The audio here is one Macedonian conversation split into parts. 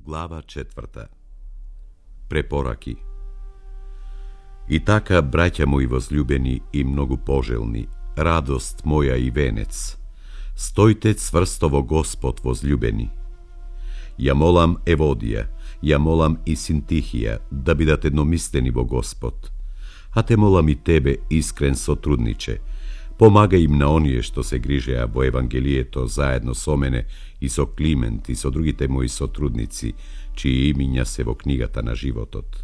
Глава 4. Препораки. И така, браќа мои возлюбени и многу пожелни, радост моја и венец, стојте цврсто во Господ, возлюбени. Ја молам Еводија, ја молам и Синтихија да бидат едномислени во Господ, а те молам и тебе, искрен сотрудниче, помагај им на оние што се грижеа во Евангелието заедно со мене и со Климент и со другите мои сотрудници, чии имиња се во книгата на животот.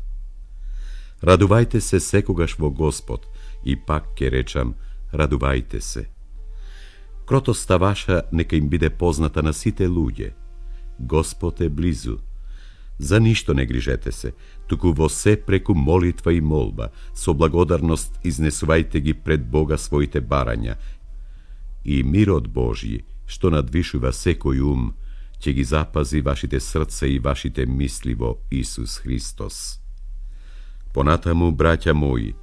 Радувајте се секогаш во Господ, и пак ке речам, радувајте се. Кротоста ваша нека им биде позната на сите луѓе. Господ е близу. За ништо не грижете се, туку во се преку молитва и молба, со благодарност изнесувајте ги пред Бога своите барања, и мирот Божји, што надвишува секој ум, ќе ги запази вашите срца и вашите мисли во Исус Христос. Понатаму, браќа мои,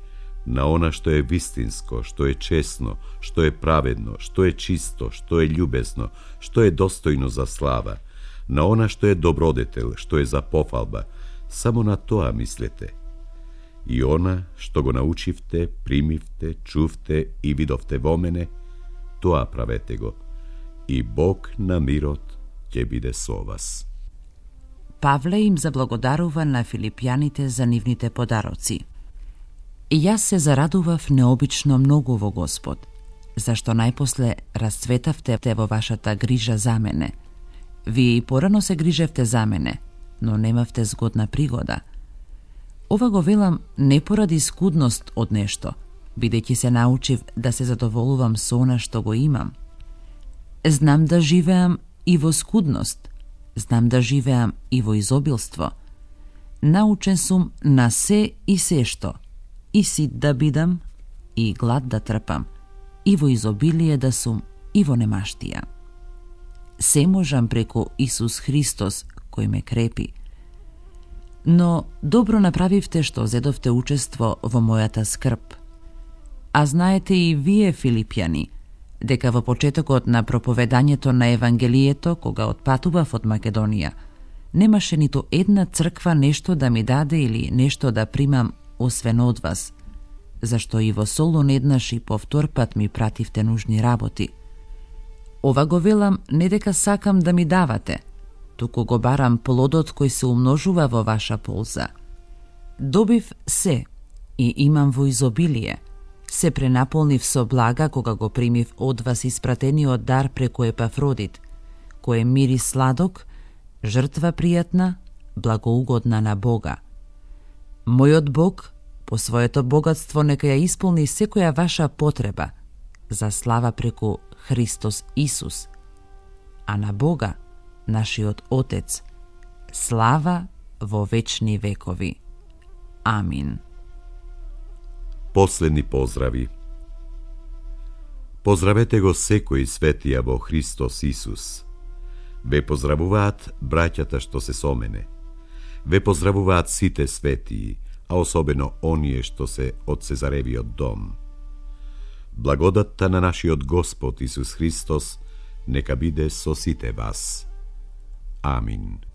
на она што е вистинско, што е честно, што е праведно, што е чисто, што е љубезно, што е достојно за слава, на она што е добродетел, што е за пофалба, само на тоа мислете. И она што го научивте, примивте, чувте и видовте во мене, тоа правете го, и Бог на мирот ќе биде со вас. Павле им заблагодарува на филипјаните за нивните подароци. И јас се зарадував необично многу во Господ, зашто најпосле расцветавте во вашата грижа за мене. Вие и порано се грижевте за мене, но немавте згодна пригода. Ова го велам не поради скудност од нешто, бидејќи се научив да се задоволувам со она што го имам. Знам да живеам и во скудност, знам да живеам и во изобилство. Научен сум на се и сешто, и сит да бидам, и глад да трпам, и во изобилие да сум, и во немаштија. Се можам преку Исус Христос, кој ме крепи. Но добро направивте што зедовте учество во мојата скрб. А знаете и вие, филипјани, дека во почетокот на проповедањето на Евангелието, кога отпатував од Македонија, немаше ниту една црква нешто да ми даде или нешто да примам освен од вас, зашто и во Солун еднаш и повторпат ми пративте нужни работи. Ова го велам не дека сакам да ми давате, туку го барам плодот кој се умножува во ваша полза. Добив се и имам во изобилие, се пренаполнив со блага кога го примив од вас испратениот дар преку Епафродит, кој е мирис сладок, жртва пријатна, благоугодна на Бога. Мојот Бог, по своето богатство, нека ја исполни секоја ваша потреба, за слава преку Христос Исус, а на Бога, нашиот Отец, слава во вечни векови. Амин. Последни поздрави. Поздравете го секој светија во Христос Исус. Ве поздравуваат браќата што се со мене. Ве поздравуваат сите светии, а особено оние што се од Цезаревиот дом. Благодатта на нашиот Господ Исус Христос нека биде со сите вас. Амин.